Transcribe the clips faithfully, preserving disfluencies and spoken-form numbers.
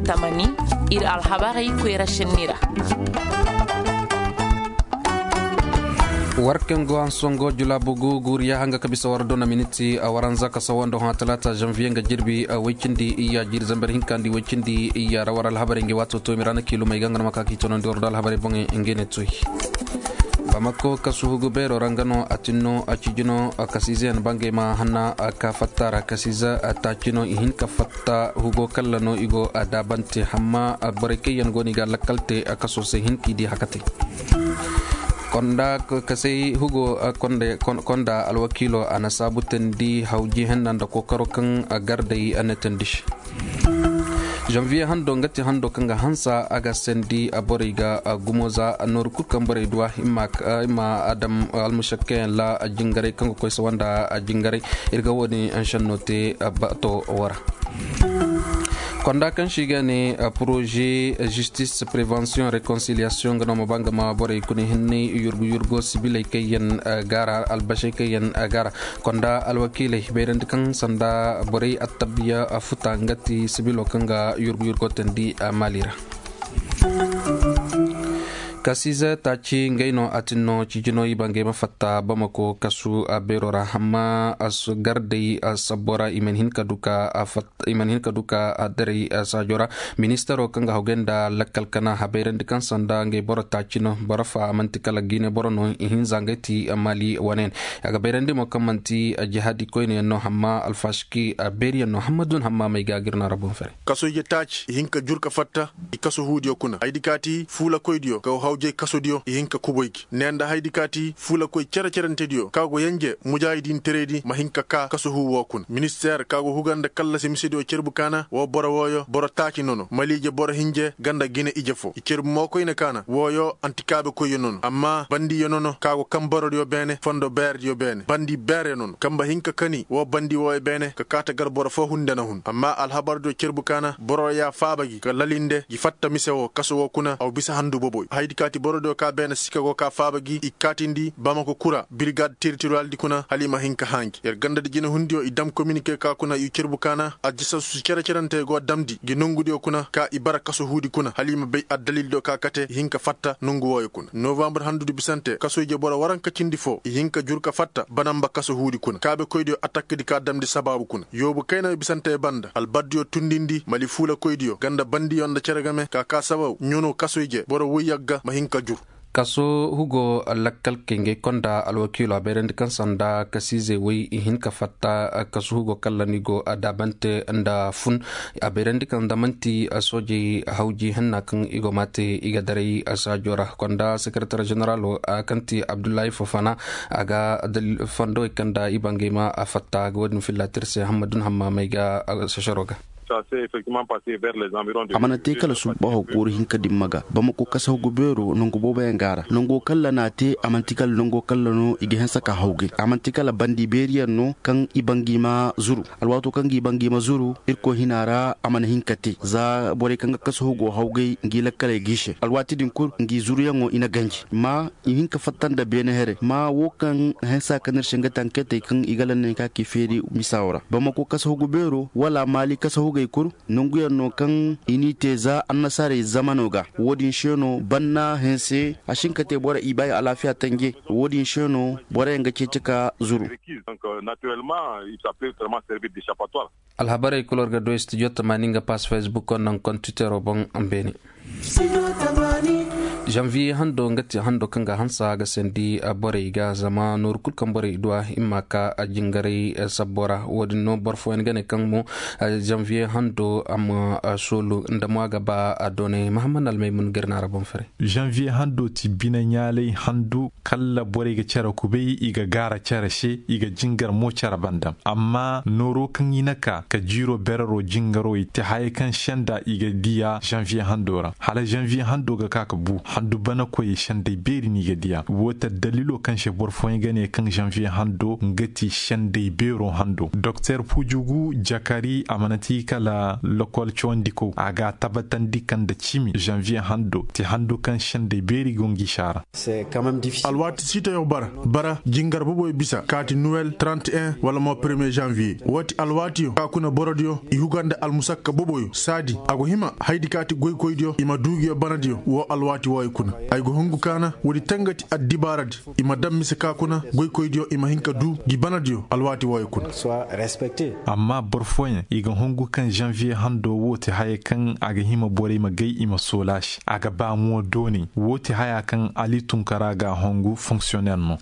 Tamani, ir alhabarey koyra šenni ra. War kaŋ go hanso ngo julaabu gu guuriya hanga ka bisa war dona miniti a waranza ka sawando hã talaata zanviye nga jirbi woy cindi iyya jiiri zambar hinka nda woy cindi iyya ra war alhabarey nga waato to mi ra na kiilumey ga nga no ma ka ka i tonandi war do alhabarey boŋey ngey ne toy. Bamako kasu hugu beero ra nga no a tin no a cijino kasiizeyaŋ bangey ma hanna ka fatta ra kasiize taaci no i hin ka fatta hugo kalla no i go a daabante hamma borey kaŋ yaŋ go no i ga lakkal te kaso se hin ka i di hakatey. Konda kasey hugo konda alwakiilo a na saabu tandi hawji henna nda kookaro kaŋ gardey a na tandi se. Zanviye hando nga ti hando kaŋ ga hansa a ga sendi borey ga gumo za nooru kulu kaŋ borey duwa i ma adam almušakkayaŋ la jingaray kaŋ ga koy sawa nda jingaray. Ir ga wo-din anšenno te bato wara. Konda kaŋ se i ga ne poroze, zistis, prevensiyoŋ, rekonsiliyasiyoŋ nga no ma ba nga ma borey kuna hinney yurgu yurgo sibiley kaŋ yaŋ gaara albasey kaŋ yaŋ gaara. Konda alwakiiley bayrandi kaŋ sanda borey attabiya futa nga ti sibilo kaŋ ga yurgu yurgo tandi maali ra. Kasiize taaci ngey no a tin no cijino i bangey ma fatta bamako kasu beero ra hamma gardey sabbo ra i mana hin ka du ka a fatta i mana hin ka du ka a daray saajo ra. Ministaro kaŋ ga hawgay nda lakkal kana a bayrandi kaŋ sanda ngey boro taaci no boro fa man'ti kala gine boro no i hinza ngey ti maali wane yaŋ. A ga bayrandi mo kaŋ man'ti jihaadi koyne yaŋ no hamma alfashiki beeri yaŋ no hamma dun hamma may ga gir na ra boŋ fere. Kaso ije taaci i hin ka jur ka fatta i kaso huudiyo kuna haydi kaati fuulakoydiyo ka hawjay kasodiyo i hin ka kuboy gi ne nda haydi kaati fuulakoy cere-cerentediyo ka go yenje mujaahidin teredi ma hin ka kaa kaso huu woo kuna ministeer ka go huga nda kallasi misediyo cerbu kaana woo boro wooyo boro taaci nono maliije boro hinje ganda gine ije foo i cerbu mookoyne kaana wooyo antikaabekoyyo nono amma bandiyo nono ka go kaŋ borodiyo beene fondo beerediyo beene bandi beeryo nono kamba hin ka kani woo bandi wooyo beene ka kaate gar boro foo hunde na hun amma alhabardiyo cerbu kaana boro ya faaba gi ka lalinde gi fatta mise woo kaso woo kuna aw bisa handu boboy haydi kaati borodiyo ka beene sika go ka faaba gi i kaatindi bamako kura birigad teritoriyaldi kuna hala i ma hin ka hãa ngi yer gandadi jinehundiyo i dam kominike ka kuna i cerbu kaana ajisasu cere-cerentey go damndi ngi nongudiyo kuna ka i bara kaso huudi kuna hala i ma bay addalildiyo ka kate i hin ka fatta nongu wooyo kuna novambur handudi bisante kaso ije boro waranka cindi foo i hin ka jur ka fatta banamba kaso huudi kuna kaabekoydiyo attakkadi ka damndi sabaabu kuna yoobu kayna bisante banda albaddiyo tundindi mali fuulakoydiyo ganda bandiyo nda cere game ka ka sababu ɲono kaso ije boro woy yagga ma hin ka jur. Kaso hugo lakkal kay ngay konda alwakiilo a bayrandi kaŋ sanda kasiizey woy i hin ka fatta kaso hugo kalla ni go a daabante nda fun. A bayrandi kaŋ da man'ti soojey hawji hanna kaŋ i go ma te i ga daray saajo ra konda sekeretar ženeralo kaŋ ti abdullahi fofana a ga fondowey kaŋ da i bangay ma a fatta ga wo-din filla tir se hammadun hamma may ga sesero ga. A mana te kala subbaho kooru hinka dimma ga bamako kasahu ga beero nangu booboyaŋ ga a ra nango kalla n'a te a man'ti kala nango kalla no i ga hanse ka hawgay a man'ti kala bandi beeriyaŋ no kaŋ i bangay ma zuru. Alwaato kaŋ ga i bangay ma zuru irkoy hina ra a mana hin ka te za borey kaŋ ga kasahu go hawgay ngi lakkaley g'i se alwaati din kul ngi zuruyaŋo i na ganji ma i hin ka fatta nda beene here ma wo kaŋ hanse ka no ir se nga tanketey kaŋ i ga lanney ka k'i feeri misawo ra bamako kasahu ga beero wala maali kasahu gay kul. Nanguyaŋ no kaŋ i n'i te za annasaarey zamano ga wo-din se no banna hanse a si hin ka te boro i baayi alaafiya tanje wo-din se no boroyaŋ ga ceeci ka zuru. Alhabarey kul war ga du studio tamaani nga pass facebook nangu twittero boŋ. Beene. Zanviye hando nga ti hando kaŋ ga hansa ga sandi borey ga zama nooru kul kaŋ borey duwa i ma ka jingaray sabbo ra wo-din no boro fooyaŋ ga ne kaŋ mo zanviye hando a ma soolu nda mo a ga ba a doonay mahammad almaymun ga ir na ra boŋ fere. Zanviye hando ti bine ɲaalay handu kalla borey ga cere kubay i ga gaara cere se i ga jingar mo cere banda amma nooro kaŋ i na ka ka jiiro berero jingaro i te hayey kaŋ senda i ga diya zanviye hando ra hala zanviye hando ga ka ka bu. Handu banakoyey sendey beeri no i ga diya. Woo ti addalilo kaŋ se boro fooyaŋ ga ne kaŋ zanviye hando nga ti sendey beero hando. Doktor pujugu jakari a mana ti kala lokol cawandikow a ga a tabatandi kaŋ nda cimi zanviye hando ti handu kaŋ sendey beeri go ngi saara. Alwaati siitayo bara bara jingar boboyo bisa kaati nuwel trente et un wala mo premier janvier woo ti alwaatiyo ka kuna borodiyo i huga nda almusakka boboyo saadi a go hima haydi kaati goykoydiyo i ma duu ngiyo banadiyo woo alwaati wooyo kuna. Ay go hungu kaana woodi tangati addibaaradi i ma dam mise ka kuna goykoydiyo i ma hin ka duu ngi banadiyo alwaati wooyo kuna. Amma boro fooyaŋ i ga hungu kaŋ janviye hando woo ti haya kaŋ a ga hima borey ma gay i ma soolaa se a ga ba mo doonay woo ti haya kaŋ ali tunkara ga a hungu fonksiyonner no.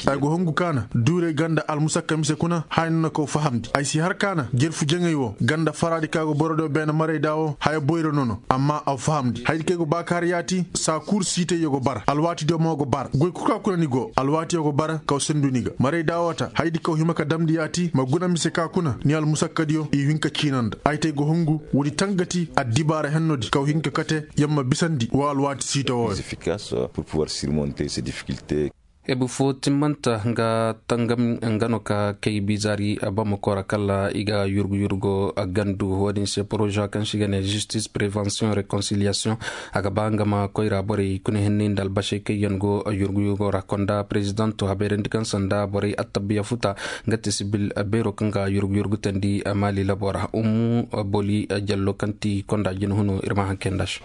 Ay go hungu kaana duurey ganda almusakka mise kuna haya no na kaw fahamndi ay si har kaana jerfu jaŋay woo ganda faraadi ka go borodiyo beene marayda woo haya boyra no no amma a fahamndi haydi kaŋ ay go baakaari yaati saa kul siitayyo go bara alwaatidiyo mo go bara goy kul ka kuna ni go alwaatiyo go bara kaw sindu ni ga marayda woo ta haydi kaw hima ka damndi yaati ma guna mise ka kuna ni almusakkadiyo i hin ka ciina nda ay te ay go hungu woodi tangati addibaara hennoodi kaw hin ka kate yer ma bisandi woo alwaati siita wooyo. Ebu foo timmanta nga tangam nga no ka kay bizaari bamako ra kala i ga yurgu yurgo gandu wo-din se poroza kaŋ se i ga ne zistis prevensiyoŋ rekonsiliyaasiyoŋ. A ga ba nga ma koyra borey kuna hinne nda albasey kaŋ yaŋ go yurgu yurgo ra konda perezidanto a bayrandi kaŋ sanda borey attabiya futa nga te sibil beero kaŋ ga yurgu yurgu tandi maali labo ra ummu boli jallo kaŋ ti konda jina huno ir ma haŋ kay nda se.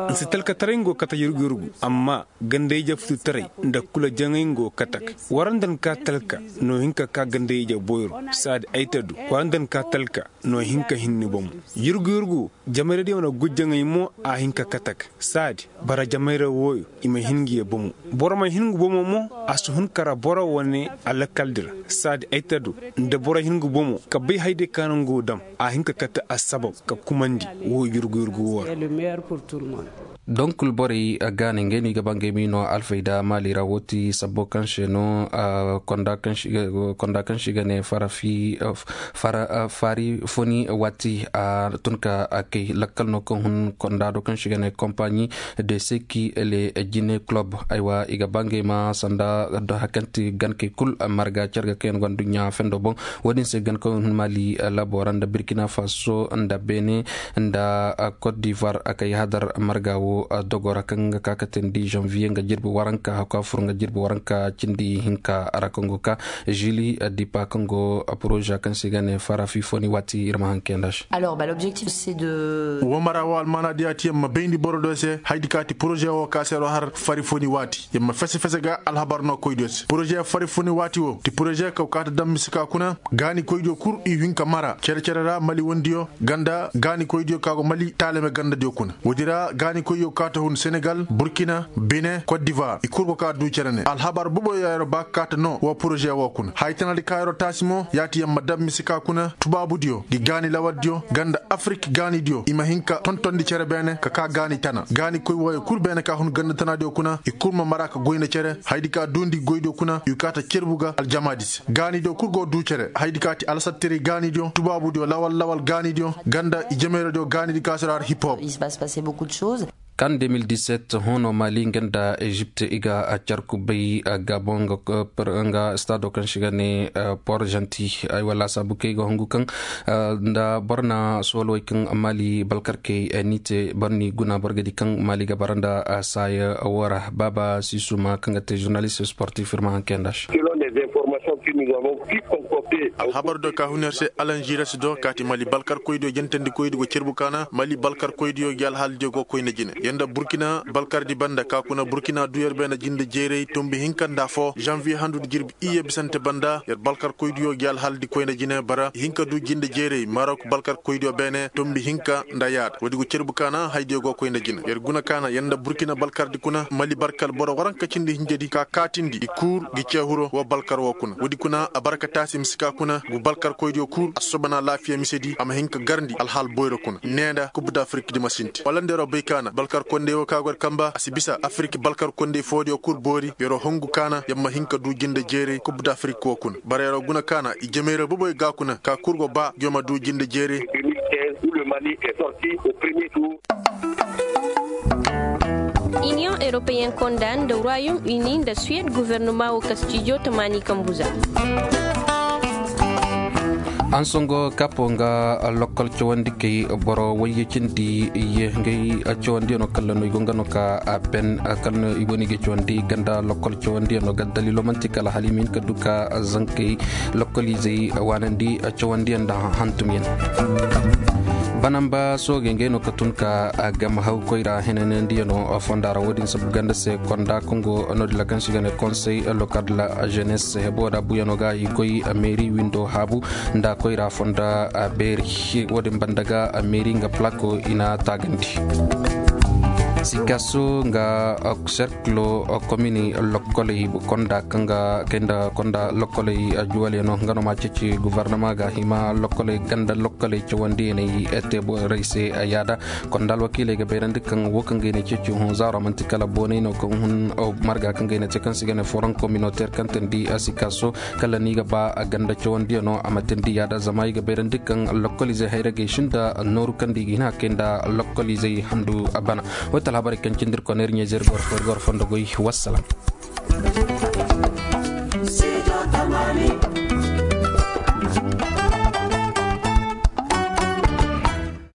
Nsi talkataray ngo kate yurgu yurgu amma ganda-ije fututaray nda kula jaŋay ngo katak. War nda ni ka talka no hin ka ka ganda-ije boyro saadi ay ta du war nda ni ka talka no hin ka hinni bomo. Yurgu yurgu jamayra-diyo na gujjaŋay mo a hin ka katak saadi bara jamayra wooyo i ma hin ngi ye bomo. Boro ma hin ngu bomo mo a si hun kara boro wane alakaldi ra saadi ay ta du nda boro hin ngu bomo ka bay hayday ka no ngu dam a hin ka kate assabab ka kumandi woo yurgu yurgu woo ra. Donk borey gaanay ngey no i ga ba ngey ma i no alfayda maali ra woo ti sabbo kaŋ se no konda kaŋ se i ga ne fara fari foni waati a tun ka kay lakkal no kaŋ hun konda do kaŋ se i ga ne kompaɲi de seki le jine kulob. Aywa i ga ba ngey ma sanda hakanti gankey kul marga care ga kaŋ yaŋ gonda duɲɲa fendo boŋ. Wo-din se gan kaŋ hun maali labo ra nda birkina faso nda bene nda kot divoir a kay hadar marga wo dogo ra kaŋ ga ka ka teendi janviye nga jirbi waranka haka fur nga jirbi waranka cindi hinka ra kaŋ go ka zili dipa kaŋ go poroza kaŋ se i ga ne fara fifoni waati ir ma haŋ kay nda se. Wo mara wo almaana diya ti yer ma bayndi boro do se haydi ka ti poroze wo ka se yer wo har fari foni waati yer ma fese fese ga alhabar no koy do se poroze fari foni waati wo ti poroze kaw ka ta dam mise ka kuna gaani koydiyo kul i hin ka mara cere cere ra mali wandiyo ganda gaani koydiyo ka go mali taalame gandadiyo kuna woodi ra gaani koydiyo ka ta hun senegal burkina bene kot divoir i kul go ka du cere ne alhabar boboyo ya yer ba ka ka ta no wo poroze wo kuna haya tanadi ka yer wo taasi mo ya ti yer ma dam mise ka kuna tubaabudiyo ngi gaani lawaldiyo ganda afirik gaanidiyo i ma hin ka tontondi cere beene ka ka gaani tana gaani koy wooyo kul beene ka hun ganda tanadiyo kuna i kul ma mara ka goy nda cere hayadi ka duundi goydiyo kuna i ka ta cerbu ga aljamaadi se gaanidiyo kul go duu cere hayadi ka ti alasattiray gaanidiyo tubaabudiyo lawal lawal gaanidiyo ganda i jemeeradiyo gaanidi ka si ra har hip hop. Kan de mil diset hono mali nga nda ezipt i ga a carku bay gabon nga stado kaŋ si ga ne port janti ay wala saabu kaŋ i ga hungu kaŋ nda boro na soolowey kaŋ mali balkarkey ni te boro ni guna boro ga di kaŋ mali ga bara nda saaya woo ra baaba sisuma kaŋ ga te zurnalist sportif ir ma haŋ kay nda se. Alhabar do ka hun yer se alanziras do kaati mali balkarkoydiyo jentandikoydi go cerbu kaana mali balkarkoydiyo gi alhaaladiyo go koyna jine yer nda burkina balkardi banda ka kuna burkina duu yer beene jinde jeeray tombi hinka nda afoo zanviye handudi jirbi iyye bisante banda yer balkarkoydiyo gi alhaaladi koyna jine bara i hin ka duu jinde jeeray marok balkarkoydiyo beene tombi hinka nda yaada woodi go cerbu kaana hayadiyo go koyna jine yer guna kaana yer nda burkina balkardi kuna mali barkal boro waranka cindi hinjedi ka kaatindi i kuur gi ceehuro woo balkar woo kuna woodi kuna a bara ka taasi mise ka kuna ngu balkarkoydiyo kuur a sobanaa laafiya misedi a ma hin ka garndi alhaal boyro kuna nee nda kub dafirik di ma sinti wala nda yer wo bay kaana balkarkondey woo ka go yer kamba a si bisa afirik balkarkondey foodiyo kul boori yer wo hungu kaana yer ma hin ka duu jinde jeeray kub dafirik woo kuna bara yer wo guna kaana i jemeera boboy ga kuna ka kul go ba ngiyo ma duu jinde jeeray. Iniyoŋ europeyen konda nda royom uni nda suwed gofornoma wo ka stijo tamaani kambu za. Ansongo kapo nga lokkol cawandi kay boro wayye cindi ye ngay cawandiyano kalla no i go nga no ka a ben kalla no i go no i ga cawandi ganda lokkol cawandiyano ga dalilo manti kala hala i ma hin ka du ka zankey lokkoliizey waanandi cawandiyaŋ nda hantumyaŋ. Banamba soogey ngey no ka tun ka a gama haw koyra henanandiyano fonda ra wo-din sabu ganda se konda kaŋ go no-din ra kaŋ se i ga ne konsey lokal de la jeunesse hebo da buyano ga i koy meeri windo haabu nda koyra fonda beeri. Wo-din banda ga meeri nga plako i na taagandi. Sikaso nga serkilo komini lokkoley konda kaŋ ga kay nda konda lokkoley juwalyaŋo nga no ma ceeci gofornoma ga hima lokkoley ganda lokkoley cawandiyaney te borey se. Yaada konda alwakiiley ga bayrandi kaŋ wo kaŋ ga i na ceeci hun zaaro manti kala boonay no kaŋ hun marga kaŋ ga i na te kaŋ se i ga ne foron kominoteer kaŋ teendi sikaso kala ni ga ba a ganda cawandiyaŋo a ma teendi yaada zama i ga bayrandi kaŋ lokkoliizey hayra gay sinda nooru kaŋ da i ga hin a kay nda lokkoliizey handu a bana. Woy talhabarey kaŋ cindi ir koneer ɲeezer gor fondo goy. Wassalam.